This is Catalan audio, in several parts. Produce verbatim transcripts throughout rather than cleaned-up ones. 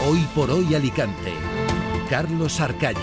Hoy por hoy Alicante. Carlos Arcaya.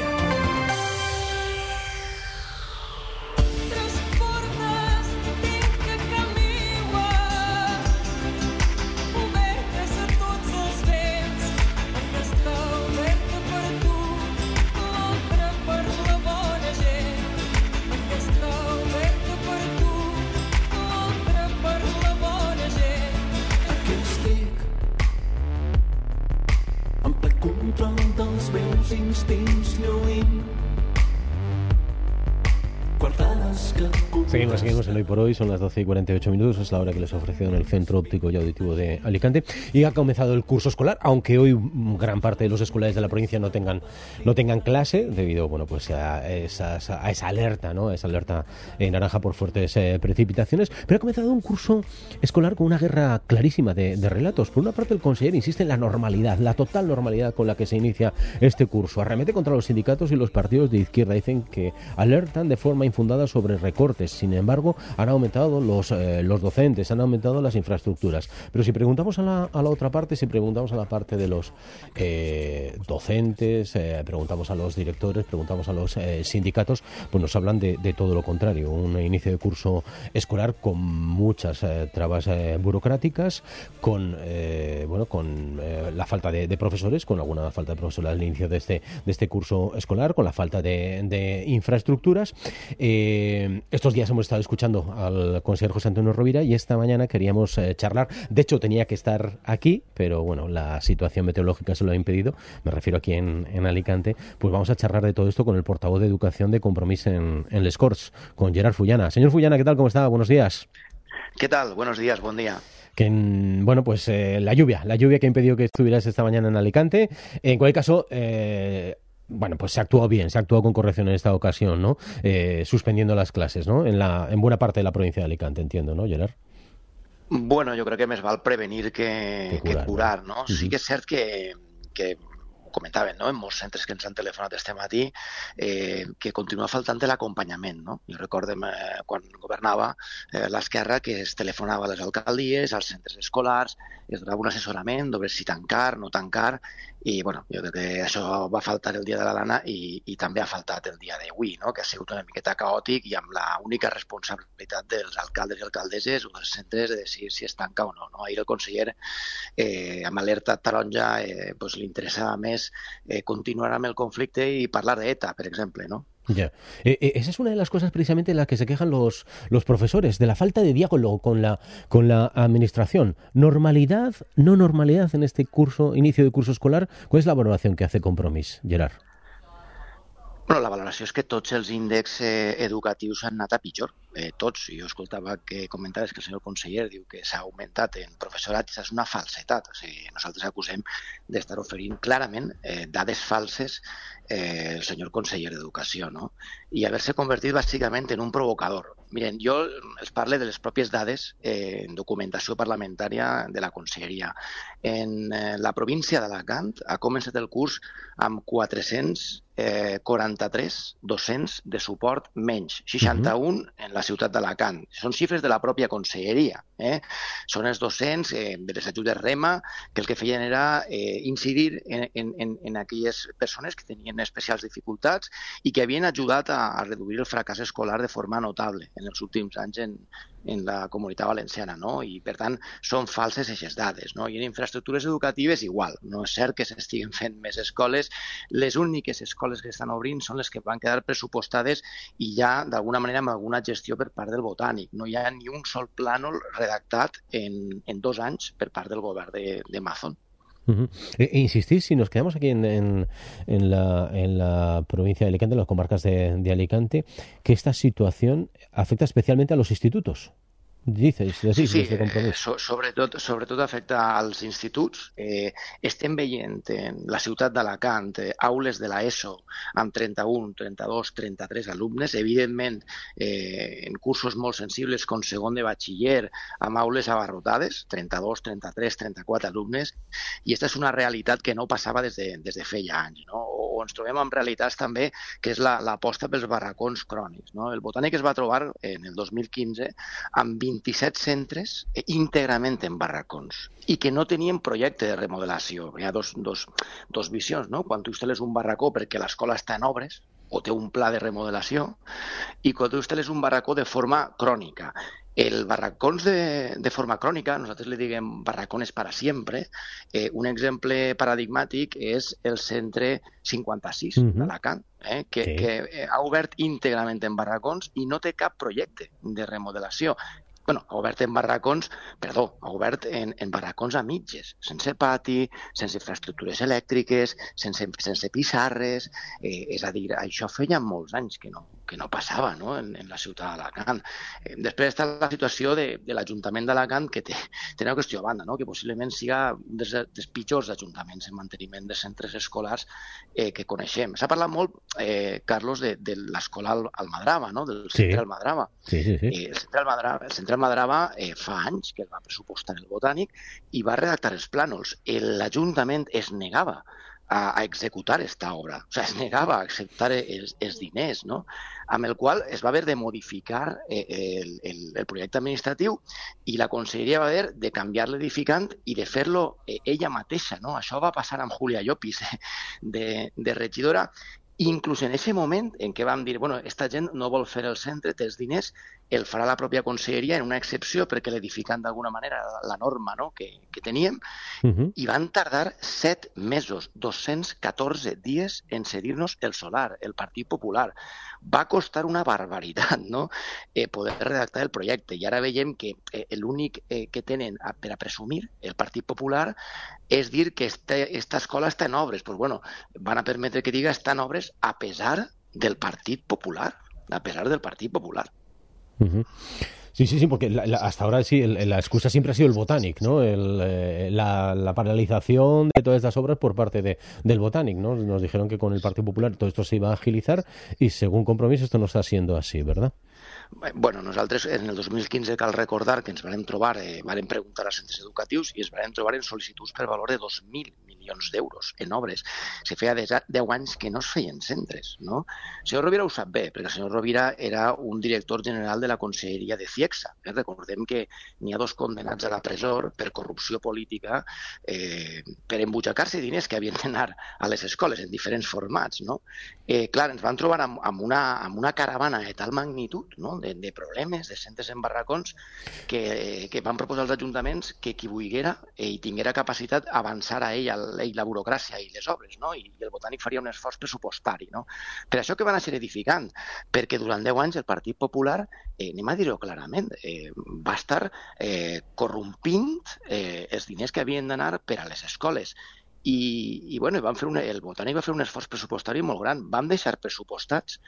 Seguimos, seguimos en Hoy por Hoy, son las doce y cuarenta y ocho minutos, es la hora que les he ofrecido en el Centro Óptico y Auditivo de Alicante y ha comenzado el curso escolar, aunque hoy gran parte de los escolares de la provincia no tengan no tengan clase debido bueno pues a, esas, a esa alerta, ¿no? A esa alerta en naranja por fuertes eh, precipitaciones, pero ha comenzado un curso escolar con una guerra clarísima de, de relatos. Por una parte, el conseller insiste en la normalidad, la total normalidad con la que se inicia este curso. Arremete contra los sindicatos y los partidos de izquierda. Dicen que alertan de forma infundada sobre recortes. Sin embargo, han aumentado los, eh, los docentes, han aumentado las infraestructuras. Pero si preguntamos a la, a la otra parte, si preguntamos a la parte de los eh, docentes, eh, preguntamos a los directores, preguntamos a los eh, sindicatos, pues nos hablan de, de todo lo contrario. Un inicio de curso escolar con muchas eh, trabas eh, burocráticas, con eh, bueno, con eh, la falta de, de profesores, con alguna falta de profesores al inicio de este, de este curso escolar, con la falta de, de infraestructuras. Eh, estos días hemos estado escuchando al consejero José Antonio Rovira y esta mañana queríamos eh, charlar. De hecho, tenía que estar aquí, pero bueno, la situación meteorológica se lo ha impedido. Me refiero aquí en, en Alicante. Pues vamos a charlar de todo esto con el portavoz de Educación de Compromís en, en Les Corts, con Gerard Fullana. Señor Fullana, ¿qué tal? ¿Cómo está? Buenos días. ¿Qué tal? Buenos días, buen día. Que, bueno, pues eh, la lluvia, la lluvia que ha impedido que estuvieras esta mañana en Alicante. En cualquier caso, eh, bueno, pues se ha actuado bien, se ha actuado con corrección en esta ocasión, ¿no? Eh, suspendiendo las clases, ¿no? En la en buena parte de la provincia de Alicante, entiendo, ¿no, Gerard? Bueno, jo crec que més val prevenir que, que curar, que curar no? no? Uh-huh. Sí que és cert que, que ho comentaven, no? En molts centres que ens han telefonat este matí, eh, que continua faltant l'acompanyament, no? Jo recordem eh, quan governava eh, l'esquerra que es telefonava a les alcaldies, als centres escolars, es donava un assessorament sobre si tancar, no tancar, i bueno, jo crec que això va faltar el dia de la Lana i, i també ha faltat el dia d'avui, no? Que ha sigut una miqueta caòtic i amb la única responsabilitat dels alcaldes i alcaldesses o dels centres de decidir si es tanca o no. no? Ahir el conseller, eh, amb alerta taronja, eh, pues, li interessava més eh, continuar amb el conflicte i parlar d'ETA, per exemple, no? Ya. Eh, eh, esa es una de las cosas precisamente en las que se quejan los, los profesores, de la falta de diálogo con la, con la administración. ¿Normalidad, no normalidad en este curso, inicio de curso escolar? ¿Cuál es la valoración que hace Compromís, Gerard? Bueno, la valoració és que tots els índexs eh, educatius han anat a pitjor. Eh, tots. Jo escoltava que comentaves que el senyor conseller diu que s'ha augmentat en professorat i això és una falsetat. O sigui, nosaltres acusem d'estar oferint clarament eh, dades falses eh, el senyor conseller d'Educació, no? I haver-se convertit bàsicament en un provocador. Miren, jo els parle de les pròpies dades eh, en documentació parlamentària de la conselleria. En eh, la província d'Alacant ha començat el curs amb quatre-cents quaranta-tres docents de suport menys, seixanta-un en la ciutat d'Alacant. Són xifres de la pròpia conselleria. Eh? Són els docents eh, de les ajudes REMA que el que feien era eh, incidir en, en, en aquelles persones que tenien especials dificultats i que havien ajudat a, a reduir el fracàs escolar de forma notable en els últims anys en, en la comunitat valenciana, no? I per tant són falses aquestes dades, no? I en infraestructures educatives igual. No és cert que s'estiguen fent més escoles. Les úniques escoles que estan obrint són les que van quedar pressupostades i ja d'alguna manera amb alguna gestió per part del Botànic. No hi ha ni un sol plànol redactat en, en dos anys per part del govern de, de Mazón. Uh-huh. E, e insistís, si nos quedamos aquí en, en, en, la, en la provincia de Alicante, en las comarcas de, de Alicante, que esta situación afecta especialmente a los institutos. Dices, decís, sí, sí, de Compromís. Eh, so, sobretot, sobretot afecta als instituts. Eh, estem veient en la ciutat d'Alacant eh, aules de l'ESO amb trenta-un, trenta-dos, trenta-tres alumnes, evidentment eh, en cursos molt sensibles com segon de batxiller, amb aules abarrotades, trenta-dos, trenta-tres, trenta-quatre alumnes, i aquesta és una realitat que no passava des de, des de feia anys, no? O, o ens trobem amb realitats també que és l'aposta la, pels barracons crònics, no? El Botànic es va trobar en el dos mil quinze amb vint vint-i-set centres íntegrament en barracons i que no tenien projecte de remodelació. Hi ha dos, dos, dos visions, no? Quan tu instal·les un barracó perquè l'escola està en obres o té un pla de remodelació, i quan tu instal·les un barracó de forma crònica. El barracons de, de forma crònica, nosaltres li diguem barracones para siempre, eh, un exemple paradigmàtic és el centre cinquanta-sis uh-huh. d'Alacant, eh, que, sí. que ha obert íntegrament en barracons i no té cap projecte de remodelació. Bueno, ha obert en barracons, perdó, ha obert en, en barracons a mitges, sense pati, sense infraestructures elèctriques, sense, sense pissarres, eh, és a dir, això feia molts anys que no, que no passava, no? En, en la ciutat d'Alacant. Eh, després està la situació de, de l'Ajuntament d'Alacant, que té, té una qüestió a banda, no? Que possiblement siga un dels, dels pitjors ajuntaments en manteniment de centres escolars eh, que coneixem. S'ha parlat molt, eh, Carlos, de, de l'escola Almadrava, no? Del centre sí. Almadrava. Sí, sí, sí. Eh, el centre Almadrava, el centre Almadrava eh, fa anys que el va pressupostar el Botànic i va redactar els plànols. L'Ajuntament es negava a, a executar aquesta obra, o sigui, es negava a acceptar els, els diners, no? Amb el qual es va haver de modificar eh, el, el, el projecte administratiu i la conselleria va haver de canviar l'edificant i de fer-lo eh, ella mateixa, no? Això va passar amb Julia Llopis, eh, de, de regidora. Inclús en aquest moment en què vam dir, bueno, esta gent no vol fer el centre, té els diners, el farà la pròpia conselleria en una excepció perquè l'edificant d'alguna manera la norma, no?, que, que teníem, uh-huh. i van tardar set mesos, dos-cents catorze dies en cedir-nos el solar, el Partit Popular. Va costar una barbaritat, no?, eh, poder redactar el projecte. I ara veiem que eh, l'únic eh, que tenen a, per a presumir el Partit Popular és dir que aquesta escola està en obres. Pues bueno, van a permetre que diga està en obres a pesar del Partit Popular, a pesar del Partit Popular. Uh-huh. Sí, sí, sí, porque la, la, hasta ahora sí, el, la excusa siempre ha sido el Botànic, ¿no? El, eh, la, la paralización de todas estas obras por parte de, del Botànic, ¿no? Nos dijeron que con el Partido Popular todo esto se iba a agilizar y según compromiso esto no está siendo así, ¿verdad? Bueno, nosaltres en el dos mil quinze cal recordar que ens vam trobar, eh, vam preguntar als centres educatius i ens vam trobar en sol·licituds per valor de dos mil milions d'euros en obres. Se feia deu anys que no es feien centres, no? El senyor Rovira ho sap bé, perquè el senyor Rovira era un director general de la Conselleria de CIEXA. Eh? Recordem que n'hi ha dos condemnats a la presó per corrupció política, eh, per embutxacar-se diners que havien d'anar a les escoles en diferents formats, no? Eh, clar, ens vam trobar amb, amb, una, amb una caravana de tal magnitud, no?, de, de problemes, de centres en barracons, que, que van proposar als ajuntaments que qui volguera eh, i tinguera capacitat avançar a ell, a ell la burocràcia i les obres, no? I, i el Botànic faria un esforç pressupostari, no? Per això que van a ser edificant, perquè durant deu anys el Partit Popular, eh, anem a dir-ho clarament, eh, va estar eh, corrompint eh, els diners que havien d'anar per a les escoles. I, i bueno, van fer un, el Botànic va fer un esforç pressupostari molt gran. Vam deixar pressupostats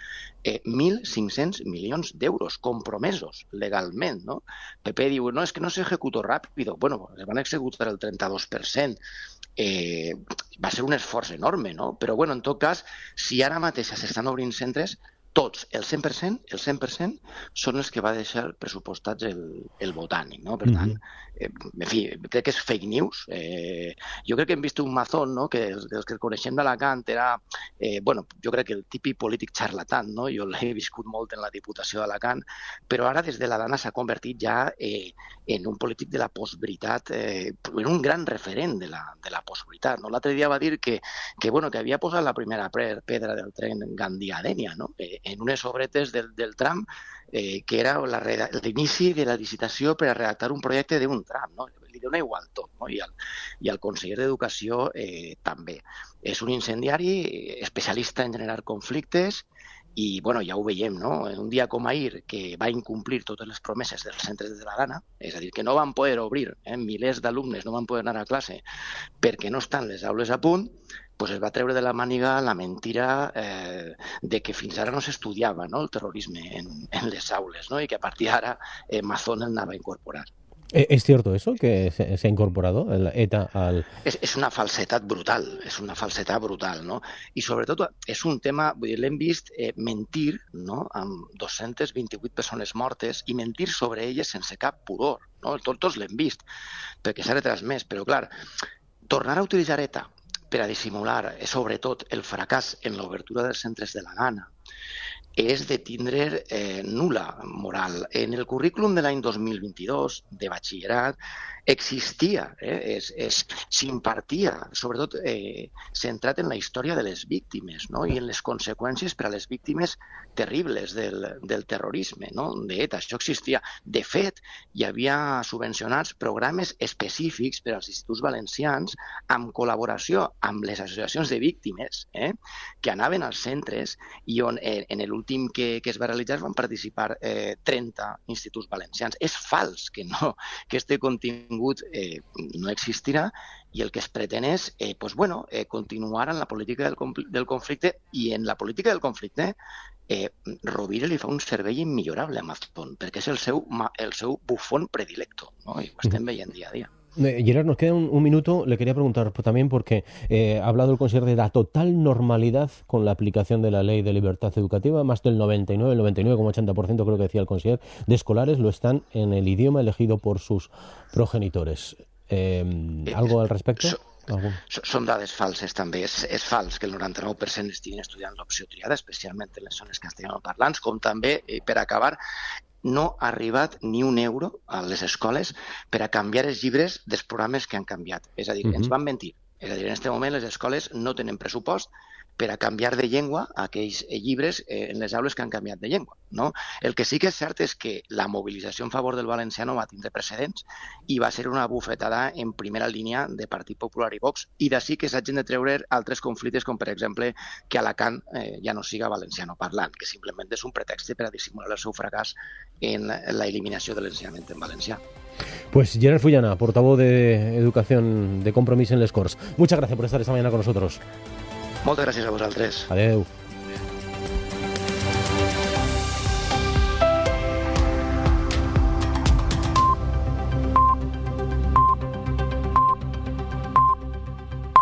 eh, mil cinc-cents milions d'euros compromesos legalment, no? P P diu, no, és que no s'executó ràpid. Bueno, es van executar el trenta-dos per cent. Eh, va ser un esforç enorme, no? Però bueno, en tot cas, si ara mateix s'estan obrint centres, tots, el cent per cent, el cent per cent són els que va deixar pressupostats el, el Botànic, no? Per tant, eh, en fi, crec que és fake news. Eh, jo crec que hem vist un Mazón, no?, que els, els que coneixem d'Alacant era, eh, bueno, jo crec que el típic polític charlatán, no? Jo l'he viscut molt en la Diputació d'Alacant, però ara des de la Dana s'ha convertit ja eh, en un polític de la postveritat, eh, en un gran referent de la, de la postveritat, no? L'altre dia va dir que, que, bueno, que havia posat la primera pedra del tren Gandia-Dénia, no?, eh, en unes obretes del, del tram, eh, que era l'inici de la licitació per a redactar un projecte d'un tram, no? Li dona igual tot, no? I el, i el conseller d'Educació eh, també. És un incendiari especialista en generar conflictes i, bueno, ja ho veiem, no? En un dia com ahir, que va incomplir totes les promeses dels centres de la Dana, és a dir, que no van poder obrir, eh? Milers d'alumnes no van poder anar a classe perquè no estan les aules a punt, pues es va treure de la màniga la mentira eh, de que fins ara no s'estudiava, no?, el terrorisme en, en les aules, no?, i que a partir d'ara eh, Mazón el anava a incorporar. ¿Es cierto eso, que se, se ha incorporado el ETA al...? És, és una falsetat brutal, és una falsetat brutal, no? I sobretot és un tema, vull dir, l'hem vist eh, mentir, no?, amb dos-centes vint-i-vuit persones mortes i mentir sobre elles sense cap pudor, no? Tots, tots l'hem vist, perquè s'ha retransmès, però clar, tornar a utilitzar ETA per a dissimular, sobretot, el fracàs en l'obertura dels centres de la Dana, és de tindre eh, nul·la moral. En el currículum de l'any dos mil vint-i-dos de batxillerat existia, eh, es, es, s'impartia, sobretot eh, centrat en la història de les víctimes, no? I en les conseqüències per a les víctimes terribles del, del terrorisme, no? d'ETA. Això existia. De fet, hi havia subvencionats programes específics per als instituts valencians amb col·laboració amb les associacions de víctimes, eh, que anaven als centres i on eh, en l'últim que, que es va realitzar van participar eh, trenta instituts valencians. És fals que, no, que este contingut eh, no existirà i el que es pretén és eh, pues, bueno, eh, continuar en la política del, del conflicte i en la política del conflicte eh, Rovira li fa un servei immillorable a Mazón perquè és el seu, el seu bufón predilecto, ¿no? I ho estem veient dia a dia. Gerard, nos queda un, un minuto. Le quería preguntar también porque eh, ha hablado el conseller de la total normalidad con la aplicación de la ley de libertad educativa. Más del noventa y nueve, el noventa y nueve coma ochenta por ciento creo que decía el conseller, de escolares lo están en el idioma elegido por sus progenitores. Eh, ¿Algo al respecto? So, so, són dades falses també. És, és fals que el noranta-nou per cent estiguin estudiant l'opció triada, especialment en les zones castellanoparlants, com també, eh, per acabar, no ha arribat ni un euro a les escoles per a canviar els llibres dels programes que han canviat. És a dir, uh-huh. ens van mentir. És a dir, en aquest moment les escoles no tenen pressupost per a canviar de llengua aquells llibres eh, en les aules que han canviat de llengua, no? El que sí que és cert és que la mobilització en favor del valenciano va tindre precedents i va ser una bufetada en primera línia de Partit Popular i Vox, i d'ací que s'hagin de treure altres conflictes, com per exemple que Alacant eh, ja no siga valenciano parlant, que simplement és un pretext per a dissimular el seu fracàs en la eliminació de l'ensenyament en valencià. Pues Gerard Fullana, portavoz de Educación de Compromís en les Corts. Muchas gracias por estar esta mañana con nosotros. Moltes gràcies a vosaltres. Adeu.